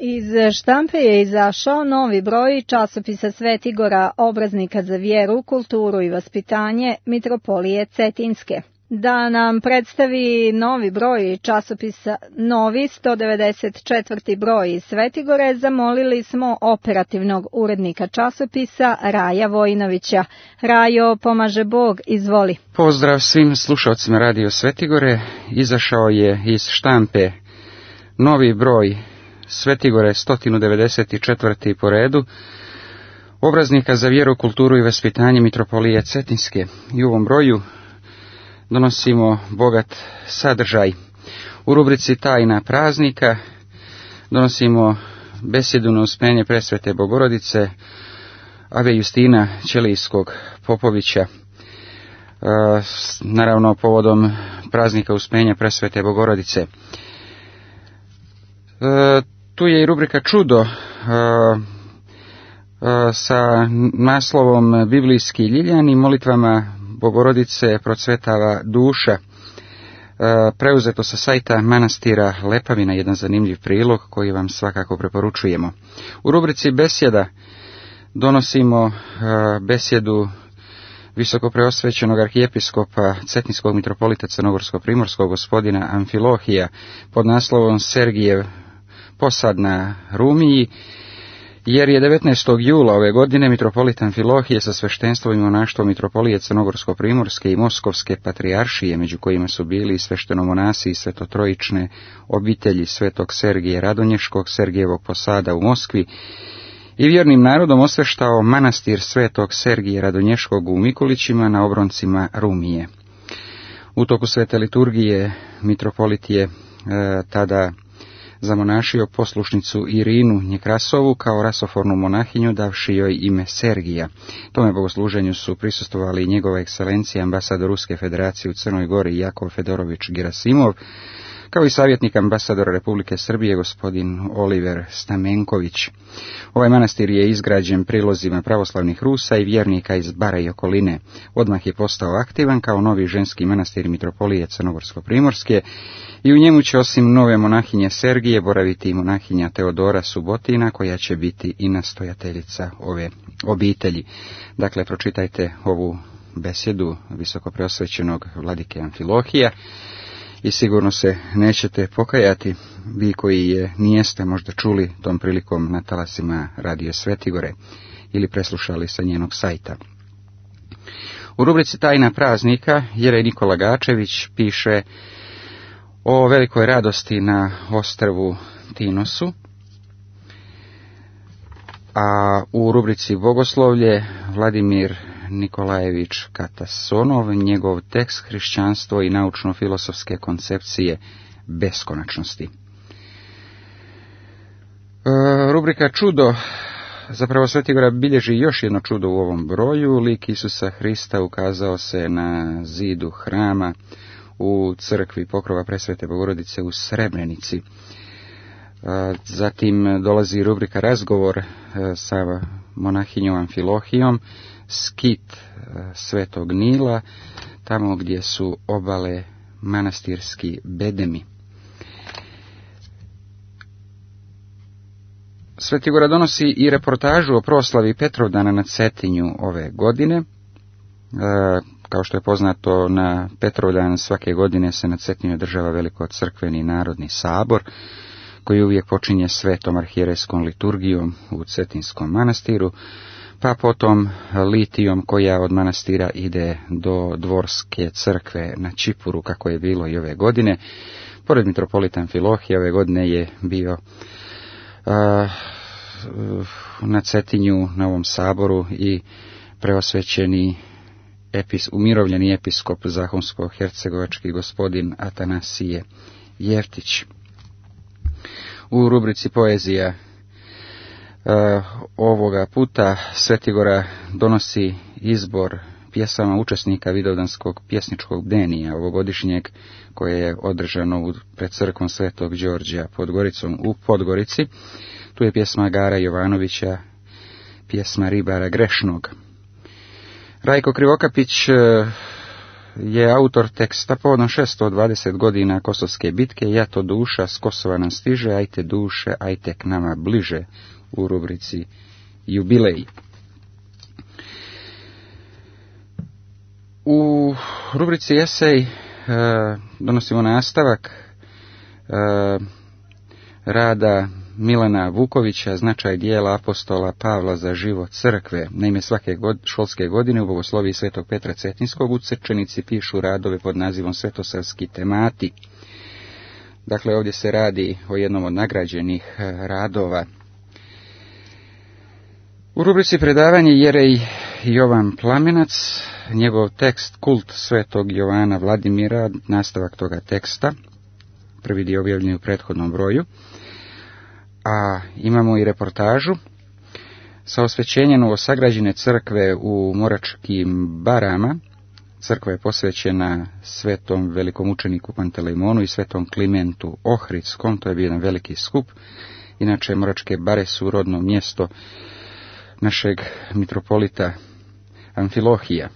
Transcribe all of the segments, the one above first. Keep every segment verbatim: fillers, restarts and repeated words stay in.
Iz štampe je izašao novi broj časopisa Svetigora, obraznika za vjeru, kulturu i vaspitanje Mitropolije Cetinske. Da nam predstavi novi broj časopisa, novi sto devedeset četvrti broj iz Svetigore, zamolili smo operativnog urednika časopisa Raja Vojinovića. Rajo, pomaže Bog, izvoli. Pozdrav svim slušalcima Radio Svetigore. Izašao je iz štampe novi broj Svetigore sto devedeset četvrti po redu, obraznika za vjeru, kulturu i vaspitanje Mitropolije Cetinske. I u ovom broju donosimo bogat sadržaj. U rubrici Tajna praznika donosimo besjedu na uspenje presvete Bogorodice ave Justina Ćelijskog Popovića, naravno povodom praznika uspenja presvete Bogorodice. Tu je i rubrika Čudo sa naslovom Biblijski ljiljani, molitvama Bogorodice procvetava duša, preuzeto sa sajta manastira Lepavina, jedan zanimljiv prilog koji vam svakako preporučujemo. U rubrici Besjeda donosimo besjedu visokopreosvećenog arhijepiskopa Cetinskog mitropolita Crnogorsko-primorskog gospodina Amfilohija pod naslovom Sergijev posad na Rumiji, jer je devetnaestog jula ove godine mitropolit Amfilohije sa sveštenstvom i monaštvom Mitropolije Crnogorsko-primorske i Moskovske patrijaršije, među kojima su bili i sveštenomonasi i svetotrojične obitelji svetog Sergije Radonješkog, Sergijevog posada u Moskvi, i vjernim narodom osveštao manastir svetog Sergije Radonješkog u Mikulićima na obroncima Rumije. U toku svete liturgije mitropolit je e, tada zamonašio poslušnicu Irinu Njekrasovu kao rasofornu monahinju, davši joj ime Sergija. Tome bogosluženju su prisustvovali i njegova ekscelencija ambasador Ruske federacije u Crnoj Gori Jakov Fedorović Gerasimov, kao i savjetnik ambasadora Republike Srbije gospodin Oliver Stamenković. Ovaj manastir je izgrađen prilozima pravoslavnih Rusa i vjernika iz Bara i okoline. Odmah je postao aktivan kao novi ženski manastir Mitropolije Crnogorsko-primorske i u njemu će osim nove monahinje Sergije boraviti i monahinja Teodora Subotina, koja će biti i nastojateljica ove obitelji. Dakle, pročitajte ovu besjedu visokopreosvećenog vladike Amfilohija i sigurno se nećete pokajati, vi koji je nijeste možda čuli tom prilikom na talasima Radio Svetigore ili preslušali sa njenog sajta. U rubrici Tajna praznika Jerej Nikola Gačević piše o velikoj radosti na ostrvu Tinosu, a u rubrici Bogoslovlje Vladimir Nikolajević Katasonov, njegov tekst Hrišćanstvo i naučno-filosofske koncepcije beskonačnosti. E, rubrika Čudo, zapravo Svetigora bilježi još jedno čudo u ovom broju. Lik Isusa Hrista ukazao se na zidu hrama u crkvi Pokrova presvete Bogorodice u Srebrenici. Zatim dolazi rubrika Razgovor sa monahinjom Amfilohijom, skit Svetog Nila, tamo gdje su obale manastirski bedemi. Svetigora donosi i reportažu o proslavi Petrovdana na Cetinju ove godine. Kao što je poznato, na Petrovdan svake godine se na Cetinju održava veliko crkveni narodni sabor, koji uvijek počinje svetom arhijerejskom liturgijom u Cetinskom manastiru, pa potom litijom koja od manastira ide do dvorske crkve na Čipuru, kako je bilo i ove godine. Pored mitropolita Amfilohija ove godine je bio uh, na Cetinju, na ovom saboru, i preosvećeni epis, umirovljeni episkop zahumsko-hercegovački gospodin Atanasije Jeftić. U rubrici Poezija uh, ovoga puta Svetigora donosi izbor pjesama učesnika Vidovdanskog pjesničkog bdenija ovogodišnjeg, koje je održano pred crkvom Svetog Đorđa pod Goricom u Podgorici. Tu je pjesma Gara Jovanovića, pjesma Ribara grešnog. Rajko Krivokapić je autor teksta povodom šesto dvadeset godina Kosovske bitke. Ja to duša s Kosova nam stiže, ajte duše, ajte k nama bliže, u rubrici Jubilej. U rubrici Esej e, donosimo nastavak e, rada Milana Vukovića, značaj dijela apostola Pavla za život crkve. Naime, svake god, školske godine u Bogosloviji Svetog Petra Cetinskog u Crčenici pišu radove pod nazivom Svetosavski temati. Dakle, ovdje se radi o jednom od nagrađenih radova. U rubrici predavanje Jerej Jovan Plamenac, njegov tekst Kult Svetog Jovana Vladimira, nastavak toga teksta, prvi dio objavljen u prethodnom broju. A imamo i reportažu sa osvećenjem novosagrađene crkve u Moračkim Barama. Crkva je posvećena svetom velikom učeniku Pantelejmonu i svetom Klimentu Ohridskom, to je bio jedan veliki skup. Inače, Moračke Bare su rodno mjesto našeg mitropolita Amfilohija.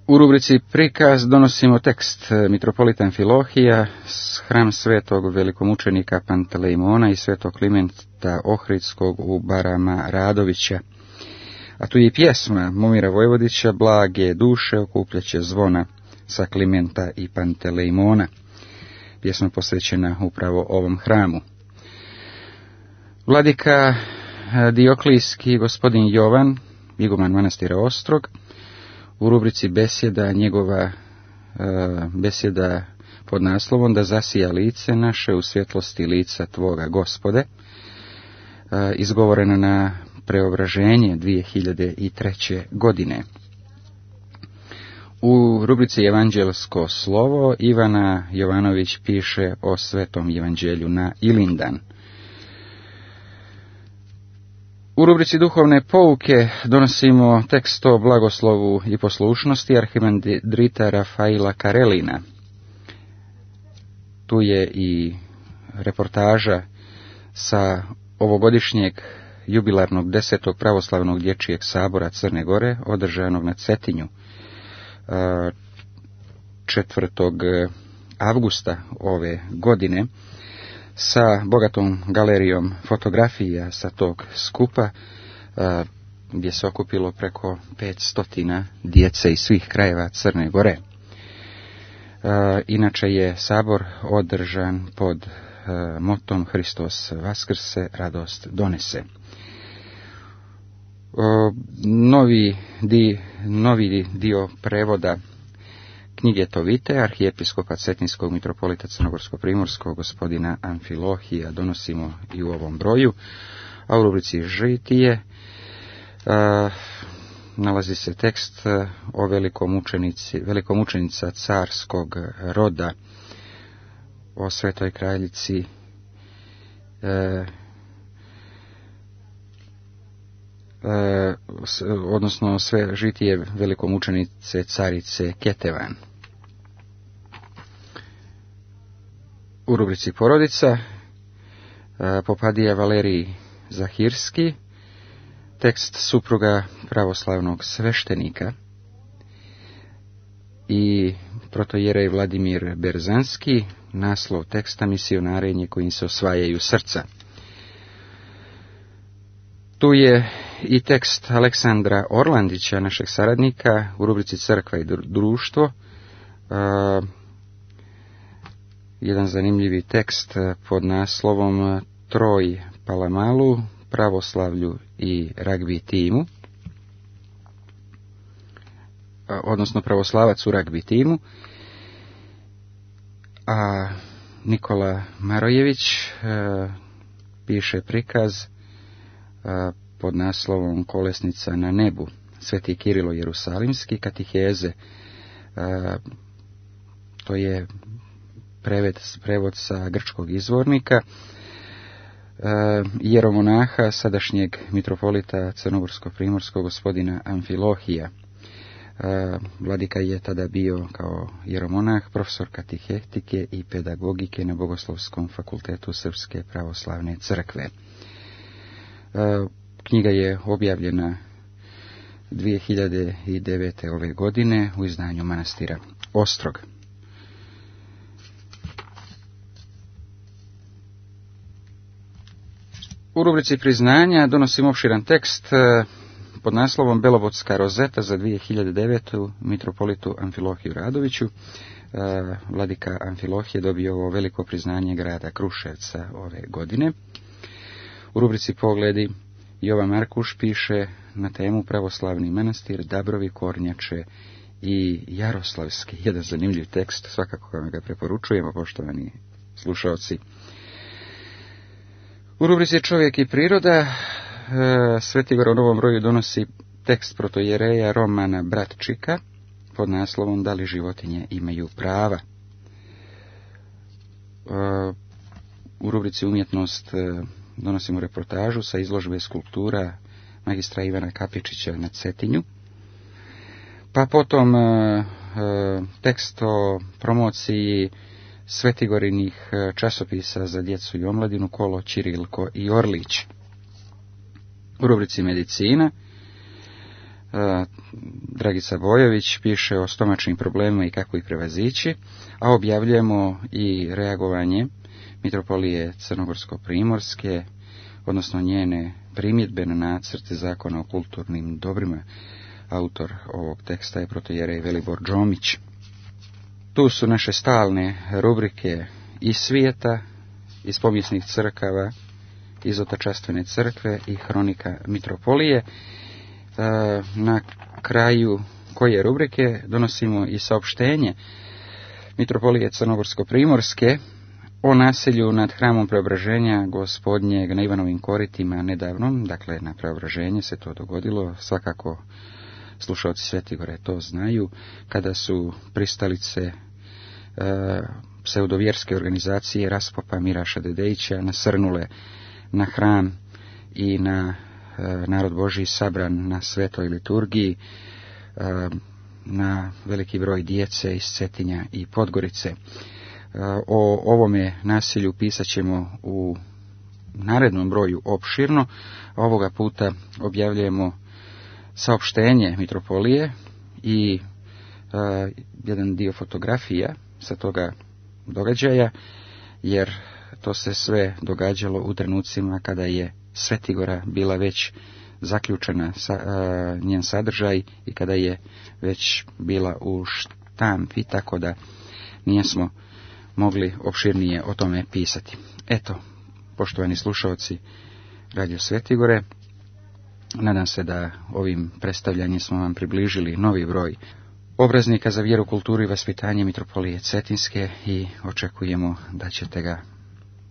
U rubrici Prikaz donosimo tekst mitropolita Amfilohija s hram svetog velikomučenika Pantelejmona i svetog Klimenta Ohridskog u Barama Radovića. A tu je i pjesma Momira Vojvodića, Blage duše okupljaće zvona sa Klimenta i Pantelejmona. Pjesma posvećena upravo ovom hramu. Vladika Dioklijski gospodin Jovan, iguman manastira Ostrog, u rubrici besjeda, njegova e, besjeda pod naslovom Da zasija lice naše u svjetlosti lica Tvoga Gospode, e, izgovorena na Preobraženje dvije hiljade treće. godine. U rubrici Evanđelsko slovo Ivana Jovanović piše o Svetom Evanđelju na Ilindan. U rubrici Duhovne pouke donosimo tekst o blagoslovu i poslušnosti arhimandrita Rafaila Karelina. Tu je i reportaža sa ovogodišnjeg jubilarnog desetog pravoslavnog dječjeg sabora Crne Gore, održanog na Cetinju četvrtog avgusta ove godine, sa bogatom galerijom fotografija sa tog skupa, gdje se okupilo preko petsto djece iz svih krajeva Crne Gore. Inače je sabor održan pod motom Hristos vaskrse, radost donese. Novi, di, novi dio prevoda knjige Tovite, arhijepiskopa Cetinskog mitropolita Crnogorsko-primorskog gospodina Amfilohija donosimo i u ovom broju, a u rubrici Žitije a, nalazi se tekst o velikom učenici, velikom učenica carskog roda, o svetoj kraljici e, e, odnosno sve žitije velikom učenice carice Ketevan. U rubrici Porodica Popadija Valerij Zahirski, tekst supruga pravoslavnog sveštenika, i protojerej Vladimir Berzanski, naslov teksta Misionarenje kojim se osvajaju srca. Tu je i tekst Aleksandra Orlandića, našeg saradnika, u rubrici Crkva i društvo. Uh, jedan zanimljivi tekst pod naslovom Troj Palamalu, pravoslavlju i ragbi timu, odnosno pravoslavac u ragbi timu. A Nikola Marojević uh, piše prikaz uh, pod naslovom Kolesnica na nebu, Sveti Kirilo Jerusalimski, katiheze. Uh, to je preved, prevod sa grčkog izvornika, uh, jeromonaha sadašnjeg mitropolita Crnogorsko-primorskog gospodina Amfilohija. Uh, Vladika je tada bio kao jeromonah, profesor katehetike i pedagogike na Bogoslovskom fakultetu Srpske pravoslavne crkve. Uh, knjiga je objavljena dvije hiljade devete. ove godine u izdanju manastira Ostrog. U rubrici priznanja donosim opširan tekst pod naslovom Belobotska rozeta za dvije hiljade devetu. mitropolitu Amfilohiju Radoviću. Vladika Amfilohije je dobio ovo veliko priznanje grada Kruševca ove godine. U rubrici Pogledi Jovan Markuš piše na temu Pravoslavni manastir, Dabrovi, Kornjače i Jaroslavski. Jedan zanimljiv tekst, svakako vam ga preporučujemo, poštovani slušalci. U rubrici Čovjek i priroda Svetigor u Novom Broju donosi tekst protojereja Romana Bratčika pod naslovom Da li životinje imaju prava. U rubrici Umjetnost donosimo reportažu sa izložbe skulptura magistra Ivana Kapičića na Cetinju. Pa potom tekst o promociji Svetigorinih časopisa za djecu i omladinu Kolo, Čirilko i Orlić. U rubrici Medicina Dragica Bojović piše o stomačnim problemima i kako ih prevazići, a objavljujemo i reagovanje mitropolije Crnogorsko-primorske, odnosno njene primjedbe na nacrt zakona o kulturnim dobrima. Autor ovog teksta je protojerej Velibor Džomić. Tu su naše stalne rubrike iz svijeta, iz povijesnih crkava, iz Otačastvene crkve i Hronika mitropolije. Na kraju koje rubrike donosimo i saopštenje mitropolije Crnogorsko-primorske o nasilju nad hramom Preobraženja Gospodnjeg na Ivanovim koritima nedavnom. Dakle, na Preobraženje se to dogodilo, svakako slušalci Svetigore to znaju, kada su pristalice e, pseudovjerske organizacije Raspopa Miraša Dedejića nasrnule na hram i na e, narod Božji sabran na svetoj liturgiji, e, na veliki broj djece iz Cetinja i Podgorice. E, o ovome nasilju pisat ćemo u narednom broju opširno. Ovoga puta objavljujemo saopštenje mitropolije i e, jedan dio fotografija sa toga događaja, jer to se sve događalo u trenucima kada je Svetigora bila već zaključena sa, e, njen sadržaj i kada je već bila u štampi, tako da nismo mogli opširnije o tome pisati. Eto, poštovani slušalci Radio Svetigore, nadam se da ovim predstavljanjem smo vam približili novi broj obraznika za vjeru, kulturu i vaspitanje mitropolije Cetinske i očekujemo da ćete ga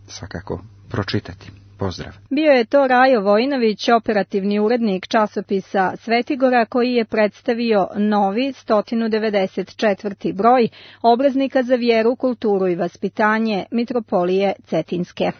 svakako pročitati. Pozdrav. Bio je to Rajo Vojinović, operativni urednik časopisa Svetigora, koji je predstavio novi sto devedeset četvrti broj obraznika za vjeru, kulturu i vaspitanje mitropolije Cetinske.